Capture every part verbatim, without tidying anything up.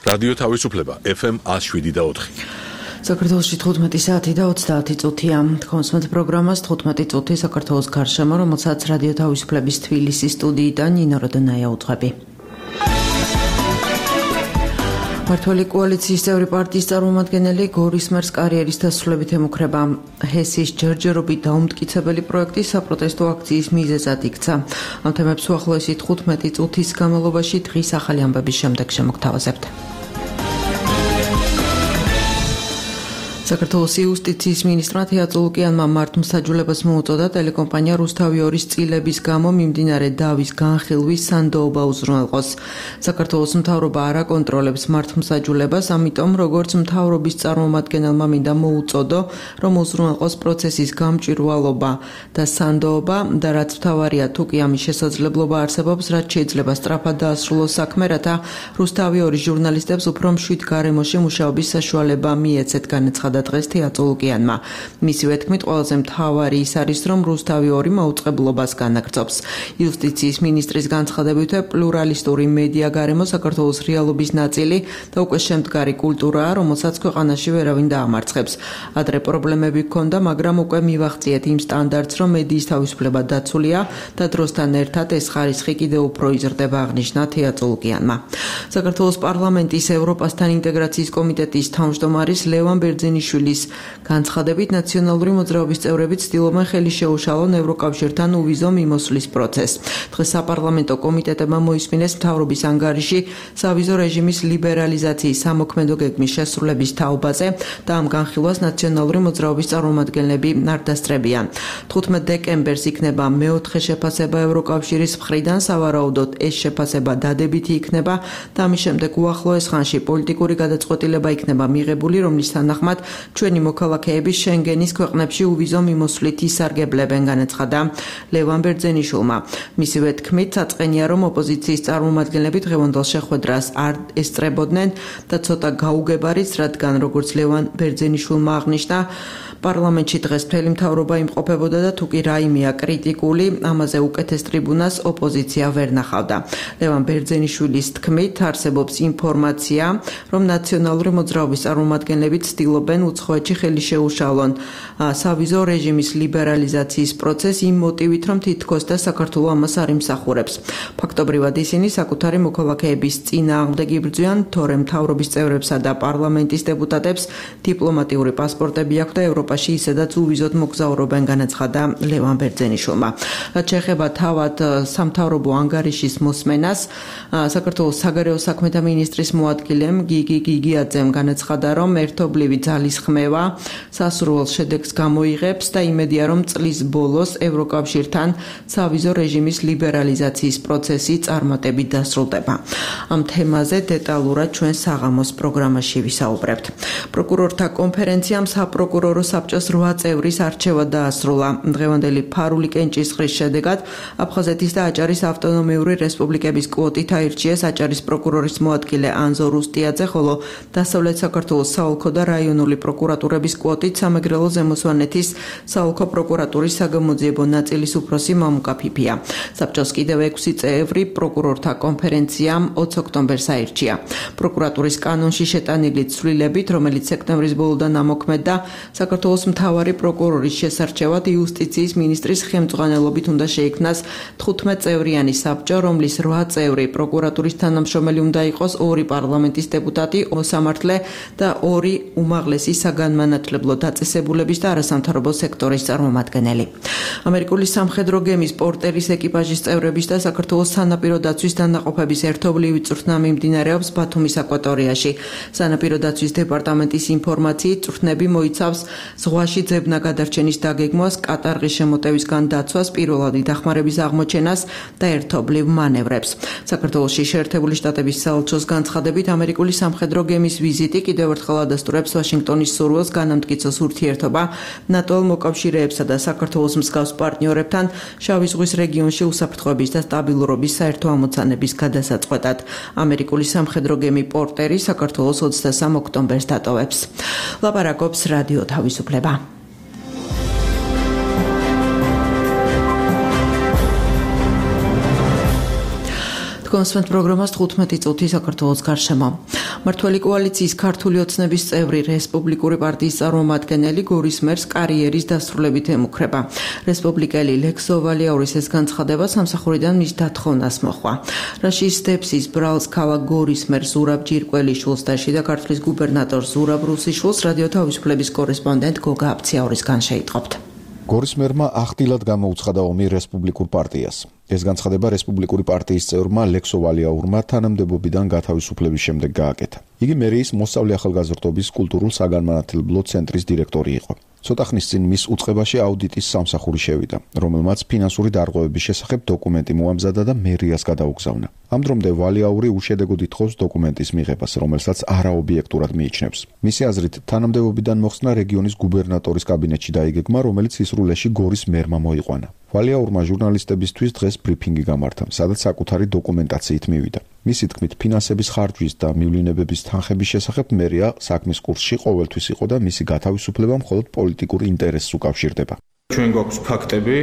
რადიო თავისუფლება ეფ ემ one oh seven და four. საქართველოში თხუთმეტი საათი და ოცდაათი წუთია. Თქვენს პროგრამას თხუთმეტი წუთი საქართველოს გარშემო, რომელსაც რადიო თავისუფლების თბილისის სტუდიიდან ნინო როდონაია უძღვები. მართალი კოალიციის წევრი პარტიის წარმომადგენელი გორის მერს კარიერის დასრულებით ემუქრება. ჰესის ჯერჯერობით დაუმტკიცებელი პროექტი საპროტესტო აქციის მიზეზად იქცა. ამ თემებს უახლოესი თხუთმეტი წუთის განმავლობაში დღის ახალი ამბების შემდეგ შემოგთავაზებთ. საქართველოს იუსტიციის მინისტრმა თეატრო ლუკიანმა მართლმსაჯულებას მოუწოდა ტელეკომპანია რუსთავი ორის წილების გამო მიმდინარე დავის განხილვის სანდოობა უზრუნველყოს. საქართველოს მთავრობა არ აკონტროლებს მართლმსაჯულებას, ამიტომ როგორც მთავრობის წარმომადგენელმა მინდა მოუწოდო, რომ უზრუნველყოს პროცესის გამჭვირვალობა და სანდოობა და რაც მთავარია, თუ კი ამის შესაძლებლობა არსებობს, რაც შეიძლება სწრაფად დაასრულოს საქმე, რათა რუსთავი ორის ჟურნალისტებს უფრო მშვიდ გარემოში მუშაობის საშუალება მიეცეთ, განაცხადა დღეს თეატრო ლუკიანმა. მისივე თქმით, ყველაზე მთავარი ის არის, რომ რუსთავი ორი მაუწყებლობას განაგრძობს. იუსტიციის მინისტრის განცხადებით, პლურალისტური მედია გარემო საქართველოს რეალობის ნაწილი და უკვე შემდგარი კულტურაა, რომელსაც ქვეყანაში ვერავინ დაამარცხებს. ადრე პრობლემები ჰქონდა, მაგრამ უკვე მივაღწიეთ იმ სტანდარტს, რომ მედიის თავისუფლება დაცულია და დროსთან ერთად ეს ხარისხი კიდევ უფრო იზრდება, აღნიშნა თეატრო ლუკიანმა. საქართველოს პარლამენტის ევროპასთან ინტეგრაციის კომიტეტის თავმჯდომარის ლევან ბერძენიშვილის განცხადებით, ნაციონალური მოძრაობის წევრები ცდილობენ ხელი შეუშალონ ევროკავშირთან უვიზო მიმოსვლის პროცესს. დღეს საპარლამენტო კომიტეტებმა მოისმინეს მთავრობის ანგარიში სავიზო რეჟიმის ლიბერალიზაციის სამოქმედო გეგმის შესრულების თაობაზე და ამ განხილვას ნაციონალური მოძრაობის წარმომადგენლები არ დასწრებიან. თხუთმეტ დეკემბერს იქნება მეოთხე შეფასება ევროკავშირის მხრიდან, სავარაუდოდ ეს შეფასება დადებითი იქნება და ამის შემდეგ უახლოეს ხანში პოლიტიკური გადაწყვეტილება იქნება მიღებული, რომლის თანახმად ჩვენი მოქალაქეები შენგენის ქვეყნებში უვიზო მიმოსვლით ისარგებლებენ, განაცხადა ლევან ბერძენიშვილმა. მისივე თქმით, საწყენია, რომ ოპოზიციის წარმომადგენლები დღევანდელ შეხვედრას არ ესწრებოდნენ და ცოტა გაუგებარიც, რადგან როგორც ლევან ბერძენიშვილმა აღნიშნა, პარლამენტში დღეს მთელი მთავრობა იმყოფებოდა და თუ კი რაიმეა კრიტიკული, ამაზე უკეთეს ტრიბუნას ოპოზიცია ვერ ნახავდა. ლევან ბერძენიშვილის თქმით, არსებობს ინფორმაცია, რომ ნაციონალური მოძრაობის წარმომადგენლები ცდილობენ უცხოეთში ხელი შეუშალონ სავიზო რეჟიმის ლიბერალიზაციის პროცესს იმ მოტივით, რომ თითქოს და საქართველოს ამას არ იმსახურებს. ფაქტობრივად ისინი საკუთარი მოქალაქეების წინააღმდეგ იბრძვიან, თორემ მთავრობის წევრებსა და პარლამენტის დეპუტატებს დიპლომატიური პასპორტები აქვთ და ევროპაში ისედაც უვიზოდ მოგზაურობენ, განაცხადა ლევან ბერძენიშვილმა. რაც შეეხება თავად სამთავრობო ანგარიშის მოსმენას, საქართველოს საგარეო საქმეთა მინისტრის მოადგილემ გიგი გიგიაძემ განაცხადა, რომ ერთობლივი ძალის ხმევა სასურველ შედეგს გამოიღებს და იმედია, რომ წლის ბოლოს ევროკავშირთან სავიზო რეჟიმის ლიბერალიზაციის პროცესი წარმატებით დასრულდება. ამ თემაზე დეტალურად ჩვენ საღამოს პროგრამაში ვისაუბრებთ. პროკურორთა კონფერენციამ საპროკურორო საბჭოს რვა წევრის არჩევა დაასრულა. დღევანდელი ფარული კენჭისყრის შედეგად აფხაზეთის და აჭარის ავტონომიური რესპუბლიკების კვოტით აირჩიეს აჭარის პროკურორის მოადგილე ანზო რუსტიაძე, ხოლო დასავლეთ საქართველოს საოლქო და რაიონული პროკურატურების კვოტით სამეგრელო ზემოსვანეთის საოლქო პროკურატურის საგამოძიებო ნაწილის უფროსი მამუკა ფიფია. საბჭოს კიდევ ექვსი წევრი პროკურორთა კონფერენციამ ოც ოქტომბერს აირჩია. პროკურატურის კანონში შეტანილი ცვლილებით, რომელიც სექტემბრის ბოლოდან ამოქმედდა, საქართველოს მთავარი პროკურორის შესარჩევად იუსტიციის მინისტრის ხელმძღვანელობით უნდა შეიქმნას თხუთმეტ წევრიანი საბჭო, რომლის რვა წევრი პროკურატურის თანამშრომელი უნდა იყოს, ორი პარლამენტის დეპუტატი, მოსამართლე და ორი უმაღლესი საგანმანათლებლო დაწესებულების და არასამთავრობო სექტორის წარმომადგენელი. ამერიკული სამხედრო გემის პორტერის ეკიპაჟის წევრების და საქართველოს სანაპირო დაცვის დანაყოფების ერთობლივი წვრთნა მიმდინარეობს ბათუმის აკვატორიაში. სანაპირო დაცვის დეპარტამენტის ინფორმაციით, წვრთნები მოიცავს ზღვაში ძებნა გადარჩენის დაგეგმვას, კატარღის შემოტევისგან დაცვას, პირველადი დახმარების აღმოჩენას და ერთობლივ მანევრებს. საქართველოში შეერთებული შტატების საელჩოს განცხადებით, ამერიკული სამხედრო გემის ვიზიტი კიდევ ერთხელ ადასტურებს ვაშინგტონის სურვილს განამტკიცოს ურთიერთობა ნატო მოკავშირეებსა და საქართველოს მსგავს პარტნიორებთან შავი ზღვის რეგიონში უსაფრთხოების და სტაბილურობის საერთო ამოცანების გადასაწყვეტად. ამერიკული სამხედრო გემი პორტერი საქართველოს ოცდასამ ოქტომბერს დატოვებს. ლაპარაკობს რადიო თავისუფლება. კონსვენთ პროგრამას თხუთმეტი წუთი საქართველოს გარშემო. მმართველი კოალიციის ქართული ოცნების წევრი რესპუბლიკური პარტიის წარმომადგენელი გორის მერს კარიერის დასრულებით ემუქრება. რესპუბლიკელი ლექსო ვალიაურის ეს განცხადება სამსახურიდან მის დათხოვნას მოჰყვა. რაშის დეპსის ბრალს ქალაქ გორის მერს ზურაბ ჯირკველიშვილს და შიდა ქართლის გუბერნატორს ზურაბ რუსიშვილს რადიო თავისუფლების კორესპონდენტ გოგა აბციაურისგან შეიტყობთ. გორის მერმა ახდილად გამოუცხადა ომი რესპუბლიკურ პარტიას. ეს განცხადება რესპუბლიკური პარტიის წევრმა ლექსო ვალიაურმა თანამდებობიდან გათავისუფლების შემდეგ გააკეთა. იგი მერიის მოსწავლე ახალგაზრდობის კულტურულ საგანმანათლებლო ცენტრის დირექტორი იყო. ცოტა ხნის წინ მის უწყებაში აუდიტის სამსახური შევიდა, რომელმაც ფინანსური დარღვევების შესახებ დოკუმენტი მოამზადა და მერიას გადაუგზავნა. ამ დრომდე ვალიაური უშედეგოდ ითხოვს დოკუმენტის მიღებას, რომელსაც არაობიექტურად მიიჩნევს. მისი აზრით, თანამდებობიდან მოხსნა რეგიონის გუბერნატორის კაბინეტში დაიგეგმა, რომელიც ისრულეში გორის მერმა მოიყვანა. ვალიაურმა ჟურნალისტებისთვის დღეს ბრიფინგი გამართა, სადაც საკუთარი დოკუმენტაციით მივიდა. მისი თქმით, ფინანსების ხარჯვის და მივლინებების თანხების შესახებ მერია საქმის კურსში ყოველთვის იყო და მისი გათავისუფლება მხოლოდ პოლიტიკურ ინტერესს უკავშირდება. ჩვენ გვაქვს ფაქტები,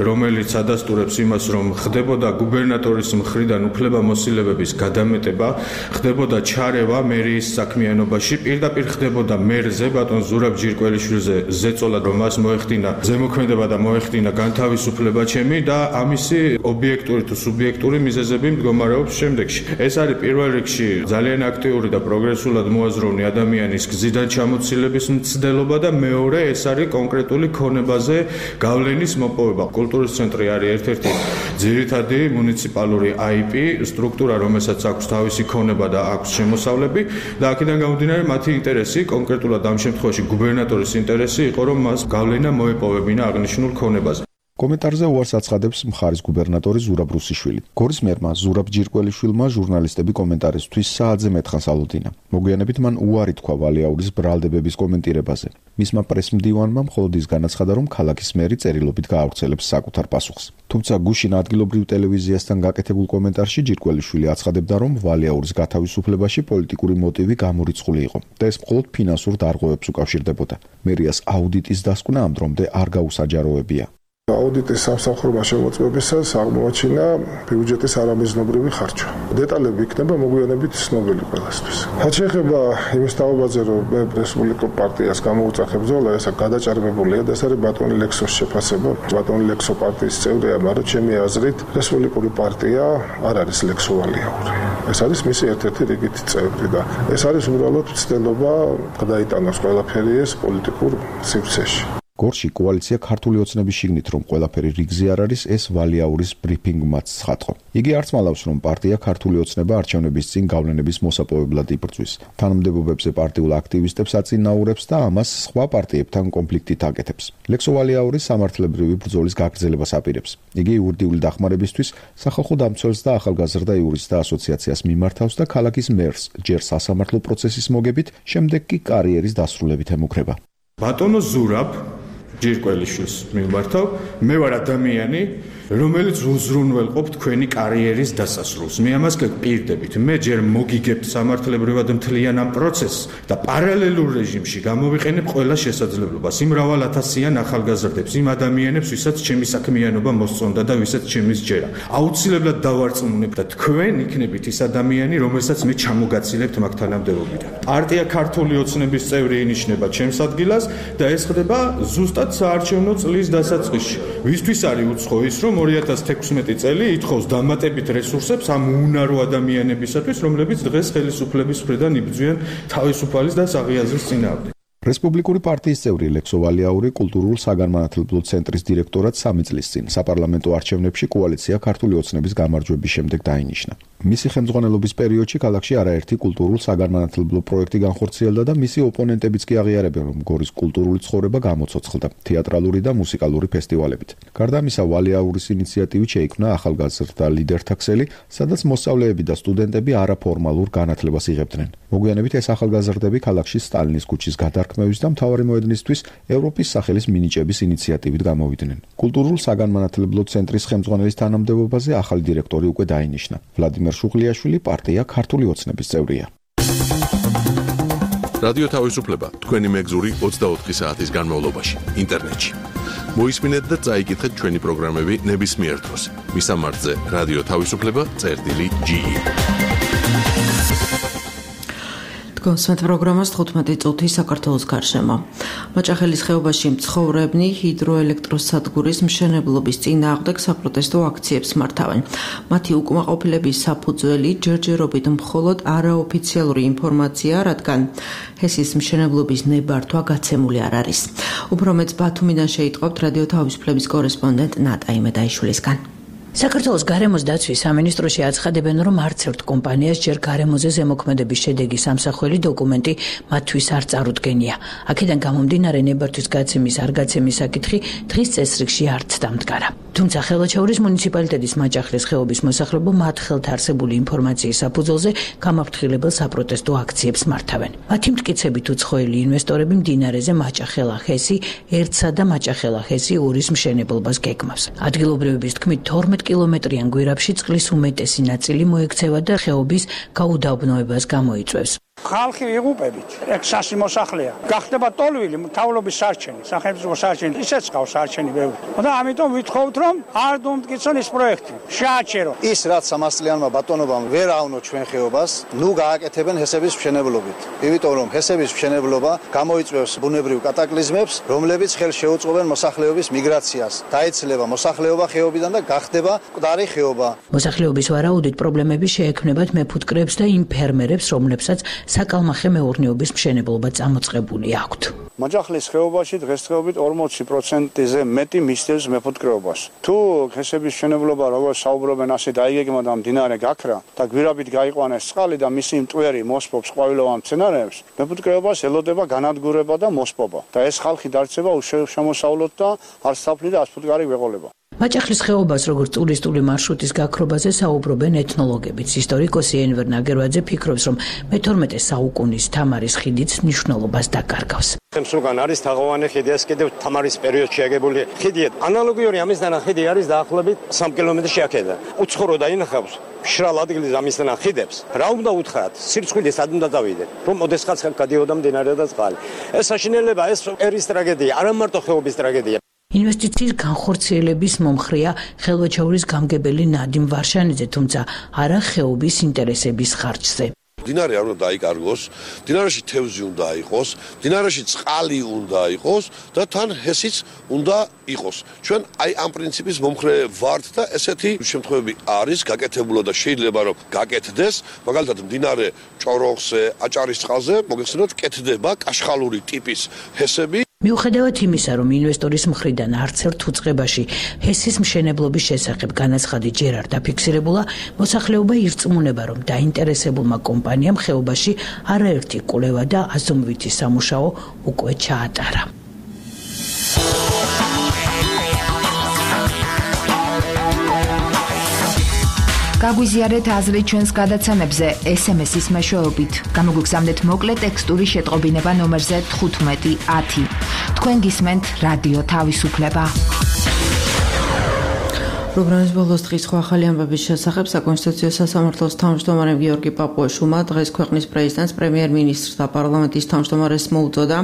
რომელიც ადასტურებს იმას, რომ ხდებოდა გუბერნატორის მხრიდან უფლებამოსილებების გადამეტება, ხდებოდა ჩარევა მერიის საქმიანობაში, პირდაპირ ხდებოდა მერზე, ბატონ ზურაბ ჯირკველიშვილზე ზეწოლა, რომ მას მოეხდინა ზემოქმედება და მოეხდინა განთავისუფლება ჩემი და ამისი ობიექტური თუ სუბიექტური მიზეზები მდგომარეობს შემდეგში. ეს არის პირველ რიგში ძალიან აქტიური და პროგრესულად მოაზროვნე ადამიანის გზიდან ჩამოცილების მცდელობა და მეორე ეს არის კონკრეტული ქონებაზე გავლენის მოპოვება. კულტურის ცენტრი არის ერთ-ერთი ძირითადი მუნიციპალური აი პი სტრუქტურა, რომელსაც აქვს თავისი ქონება და აქვს შემოსავლები და აქედან გამომდინარე მათი ინტერესი, კონკრეტულად ამ შემთხვევაში გუბერნატორის ინტერესი იყო, რომ მას გავლენა მოეპოვებინა აღნიშნულ ქონებაზე. კომენტარზე უარს აცხადებს მხარის გუბერნატორი ზურაბ რუსიშვილი. გორის მერმა ზურაბ ჯირკველიშვილმა ჟურნალისტები კომენტარისთვის საათზე მეთხანს ალოდინა. მოგვიანებით მან უარი თქვა ვალიაურის ბრალდებების კომენტირებაზე. მისმა პრესმდივანმა მხოლოდ ის განაცხადა, რომ ქალაქის მერი წერილობით გაავრცელებს საკუთარ პასუხს. თუმცა გუშინ ადგილობრივ ტელევიზიასთან გაკეთებულ კომენტარში ჯირკველიშვილი აცხადებდა, რომ ვალიაურის გათავისუფლებაში პოლიტიკური მოტივი გამორიცხული იყო და ეს მხოლოდ ფინანსურ დარღვევებს უკავშირდებოდა. მერიას აუდიტის დასკვნა ამ დრომდე არ გაუსაჯაროებია. აუდიტის სამსახურმა შემოწმებისას აღმოაჩინა ბიუჯეტის არამიზნობრივი ხარჯვა. დეტალები იქნება მოგვიანებით ცნობილი ყველასთვის. რაც შეეხება იმის თაობაზე, რომ მე რესპუბლიკურ პარტიას გამოუწახებ ბრძოლა, ეს გადაჭარბებულია და ეს არის ბატონი ლექსოს შეფასება. ბატონი ლექსო პარტიის წევრია, მაგრამ ჩემი აზრით რესპუბლიკური პარტია არ არის ლექსო ვალიაური. ეს არის მისი ერთ-ერთი რიგითი წევრი და ეს არის უბრალოდ ცდელობა გადაიტანოს ყველაფერი ეს პოლიტიკურ სივრცეში. გორში კოალიცია ქართული ოცნების შიგნით რომ ყველაფერი რიგზე არ არის, ეს ვალიაურის ბრიფინგმაც ცხადყო. იგი არც მალავს, რომ პარტია ქართული ოცნება არჩევნების წინ გავლენების მოსაპოვებლად იბრძვის. თანამდებობებზე პარტიულ აქტივისტებს აწინაურებს და ამას სხვა პარტიებთან კონფლიქტით აკეთებს. ლექსო ვალიაური სამართლებრივი ბრძოლის გაგრძელებას აპირებს. იგი იურიდიული დახმარებისთვის სახალხო დამცველს და ახალგაზრდა იურისტთა ასოციაციას მიმართავს და ქალაქის მერს ჯერ სასამართლო პროცესის მოგებით, შემდეგ კი კარიერის დასრულებით ემუქრება. ბატონო ზურაბ ჯირკველიშვილს მიმართავ, მე ვარ ადამიანი, რომელიც უზრუნველყოფ თქვენი კარიერის დასასრულს. მე ამას გპირდებით. მე ჯერ მოგიგებთ სამართლებრივად მთლიან ამ პროცესს და პარალელურ რეჟიმში გამოვიყენებ ყველა შესაძლებლობას იმ მრავალ ათასიან ახალგაზრდებს, იმ ადამიანებს, ვისაც ჩემი საქმიანობა მოსწონდა და ვისაც ჩემი სჯერა. აუცილებლად დავარწმუნებ და თქვენ იქნებით ის ადამიანი, რომელსაც მე ჩამოგაცილებთ მაგ თანამდებობიდან. პარტია ქართული ოცნების წევრი ინიშნება ჩემს ადგილას და ეს ხდება ზუსტად საარჩევნო წლის დასაწყისში. ვისთვის არის უცხო ის, რომ ორი ათას თექვსმეტი წელი ითხოვს დამატებით რესურსებს ამ უნარო ადამიანებისათვის, რომლებიც დღეს ხელისუფლების მხრიდან იბრძვიან თავისუფალის და საღიაზრის წინააღმდეგ. რესპუბლიკური პარტიის წევრი ლექსო ვალიაური კულტურულ საგანმანათლებლო ცენტრის დირექტორად სამი წლის წინ საპარლამენტო არჩევნებში კოალიცია ქართული ოცნების გამარჯვების შემდეგ დაინიშნა. მისი ხელმძღვანელობის პერიოდში ქალაქში არაერთი კულტურულ საგანმანათლებლო პროექტი განხორციელდა და მისი ოპონენტებიც კი აღიარებენ, რომ გორის კულტურული ცხოვრება გამოცოცხლდა თეატრალური და მუსიკალური ფესტივალებით. გარდა ამისა, ვალიაურის ინიციატივით შეიქმნა ახალგაზრდა ლიდერთა ქსელი, სადაც მოსწავლეები და სტუდენტები არაფორმალურ განათლებას იღებდნენ. მოგვიანებით ეს ახალგაზრდები ქალაქში სტალინის ქუჩის გადარქმევის და მთავარი მოედნისთვის ევროპის სახელის მინიჭების ინიციატივით გამოვიდნენ. კულტურულ საგანმანათლებლო ცენტრის ხელმძღვანელის თანამდებობაზე ახალი დირექტორი უკვე დაინიშნა. ვლადიმერ შუღლიაშვილი პარტია ქართული ოცნების წევრია. რადიო თავისუფლება თქვენი მეგზური ოცდაოთხი საათის განმავლობაში ინტერნეტში. მოისმინეთ და წაიკითხეთ ჩვენი პროგრამები ნებისმიერ დროს. მისამართზე რადიო თავისუფლება წერტილი ჯი. გონსვეთ პროგრამას თხუთმეტი წუთი საქართველოს გარშემო. მაჭახელის ხეობაში მცხოვრებნი ჰიდროელექტროსადგურის მშენებლობის წინააღმდეგ საპროტესტო აქციებს მართავენ. მათი უკმაყოფილების საფუძველი ჯერჯერობით მხოლოდ არაოფიციალური ინფორმაცია, რადგან ჰესის მშენებლობის ნებართვა გაცემული არ არის. უფრო მეც ბათუმიდან შეიტყობთ რადიო თავისუფლების კორესპონდენტ ნატა იმედაიშვილისგან. საქართველოს გარემოს დაცვის სამინისტროში აცხადებენ, რომ არც ერთ კომპანიას ჯერ გარემოზე ზემოქმედების შედეგის ამსახველი დოკუმენტი მათთვის არ წარუდგენია. აქედან გამომდინარე ნებართვის გაცემის არ გაცემის საკითხი დღის წესრიგში არც დამდგარა. თუმცა ხელვაჩაურის მუნიციპალიტეტის მაჭახლის ხეობის მოსახლეობა მათ ხელთ არსებული ინფორმაციის საფუძველზე გამაფრთხილებელ საპროტესტო აქციებს მართავენ. მათი მტკიცებით უცხოელი ინვესტორები მდინარეზე მაჭახელა ჰესი ერთსა და მაჭახელა ჰესი ორის მშენებლობას გეგმავს. ადგილობრივების თქმით თორმეტ კილომეტრიან გვირაბში წყლის უმეტესი ნაწილი მოექცევა და ხეობის გაუდაბნოებას გამოიწვევს. ხალხი იღუპებით, ეგ სასი მოსახლეა. გახდება ტოლვილი მთავრობის სარჩენი, სახელმწიფო სარჩენი, ისეც ყავს სარჩენი ბევრი. და ამიტომ ვითხოვთ, რომ არ დუმტკიცონ ეს პროექტი. შეაჩერო. ის რაც სამას წლიანმა ბატონობამ ვერ ავნო ჩვენ ხეობას, ნუ გააკეთებენ ჰესების მშენებლობით. იმიტომ რომ ჰესების მშენებლობა გამოიწვევს ბუნებრივ კატაკლიზმებს, რომლებიც ხელს შეუწყობენ მოსახლეობის მიგრაციას. დაეცლება მოსახლეობა ხეობიდან და გახდება მკვდარი ხეობა. მოსახლეობის ვარაუდით პრობლემები შეექმნებათ მეფუტკრეებს და იმ ფერმერებს, რომლებსაც საკალმახე მეურნეობის მშენებლობა წამოწყებული აქვთ. მაჭახლის ხეობაში დღესდღეობით ორმოცი პროცენტზე მეტი მისდევს მეფუტკრეობას. თუ ჰესების მშენებლობა როგორც საუბრობენ ასე დაიგეგმა და მდინარე გაქრა და გვირაბით გაიყვანეს წყალი და მისი მტვერი მოსპობს ყვავილოვან მცენარეებს, მეფუტკრეობას ელოდება განადგურება და მოსპობა. და ეს ხალხი დარჩება უშემოსავლოდ და არც საფლი და ასფუტკარი გვეყოლება. მაჭახლის ხეობას როგორც ტურისტული მარშრუტის გაქრობაზე საუბრობენ ეთნოლოგებიც. ისტორიკოსი ენვერ ნაგერვაძე ფიქრობს, რომ მეთორმეტე საუკუნის თამარის ხიდიც მნიშვნელობას დაკარგავს. სულგან არის თაღოვანი ხიდი, ეს კიდევ თამარის პერიოდში აგებული ხიდია. ანალოგიური ამისთან ხიდი არის დაახლოებით სამი კილომეტრი აქედან. უცხორო დაინახავს მშრალ ადგილზე ამისთან ხიდებს. რა უნდა უთხრათ? სირცხვილი სად უნდა დავიდეთ? რომ ოდესღაც გადიოდა მდინარე და წყალი. ეს საშინელება, ეს ერის ტრაგედია, არა მარტო ხეობის ტრაგედია. ინვესტიციის განხორციელების მომხრეა ხელვაჩაურის გამგებელი ნადიმ ვარშანიძე, თუმცა არა ხეობის ინტერესების ხარჯზე. მდინარე არ უნდა დაიკარგოს, მდინარეში თევზი უნდა იყოს, მდინარეში წყალი უნდა იყოს და თან ჰესიც უნდა იყოს. ჩვენ აი ამ პრინციპის მომხრე ვართ და ესეთი შემთხვევები არის გაკეთებულა და შეიძლება რომ გაკეთდეს, მაგალითად მდინარე ჭოროხზე, აჭარის წყალზე მოგეხსენოთ კეთდება კაშხალური ტიპის ჰესები. მიუხედავად იმისა, რომ ინვესტორის მხრიდან არც ერთ უწყებაში ჰესის მშენებლობის შესახებ განაცხადი ჯერ არ დაფიქსირებულა, მოსახლეობა ირწმუნება, რომ დაინტერესებულმა კომპანიამ ხეობაში არაერთი კვლევა და აზომვითი სამუშაო უკვე ჩაატარა. გაგვიზიარეთ აზრი ჩვენს გადაცემებზე ეს ემ ესის მეშვეობით. გამოგვიგზავნეთ მოკლე ტექსტური შეტყობინება ნომერზე თხუთმეტი ათი. თქვენ გისმენთ რადიო თავისუფლება. პროგრამის ბოლოს დღის სხვა ახალი ამბების შესახებ საკონსტიტუციო სასამართლოს თავმჯდომარემ გიორგი პაპუაშვილმა დღეს ქვეყნის პრეზიდენტს, პრემიერ-მინისტრს და პარლამენტის თავმჯდომარეს მოუწოდა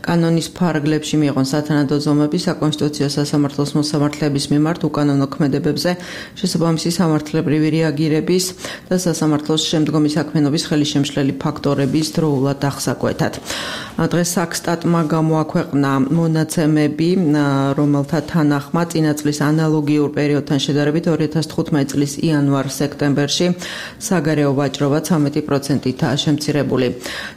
კანონის ფარგლებში მიიღონ სათანადო ზომები საკონსტიტუციო სასამართლოს მოსამართლეების მიმართ უკანონო ქმედებებზე შესაბამისი სამართლებრივი რეაგირების და სასამართლოს შემდგომი საქმიანობის ხელისშემშლელი ფაქტორების დროულად აღსაკვეთად. დღეს საქსტატმა გამოაქვეყნა მონაცემები, რომელთა თანახმად წინა წლის ანალოგიურ პერიოდთან შედარებით ორი ათას თხუთმეტი წლის იანვარ-სექტემბერში საგარეო ვაჭრობა ცამეტი პროცენტითაა შემცირებული.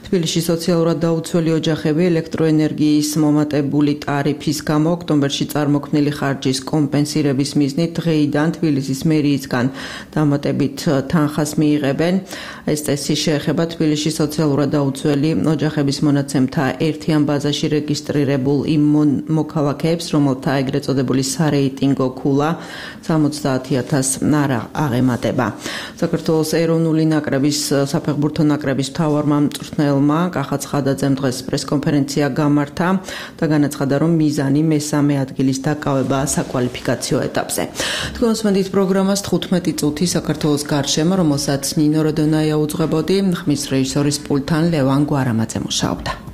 თბილისში სოციალურად დაუცველი ოჯახები ელექტროენერგიის მომატებული ტარიფის გამო ოქტომბერში წარმოქმნილი ხარჯის კომპენსირების მიზნით დღეიდან თბილისის მერიისგან დამატებით თანხას მიიღებენ. ეს წესი შეეხება თბილისში სოციალურად დაუცველი ოჯახების მონაცემთა ერთიან ბაზაში რეგისტრირებულ იმ მოქალაქეებს, რომელთა ეგრეთ წოდებული სარეიტინგო ქულა სამოცდაათი ათასს არ აღემატება. საქართველოს ეროვნული ნაკრების საფეხბურთო ნაკრების მთავარმა მწვრთნელმა კახა ცხადაძემ დღეს პრესკონფერენცია გამართა და განაცხადა, რომ მიზანი მესამე ადგილის დაკავებაა საკვალიფიკაციო ეტაპზე. თქვენ უსმენთ პროგრამას თხუთმეტი წუთი საქართველოს გარშემო, რომელსაც ნინო როდონაია უძღვებოდი, ხმის რეჟისორის პულტთან ლევან გვარამაძე მუშაობდა.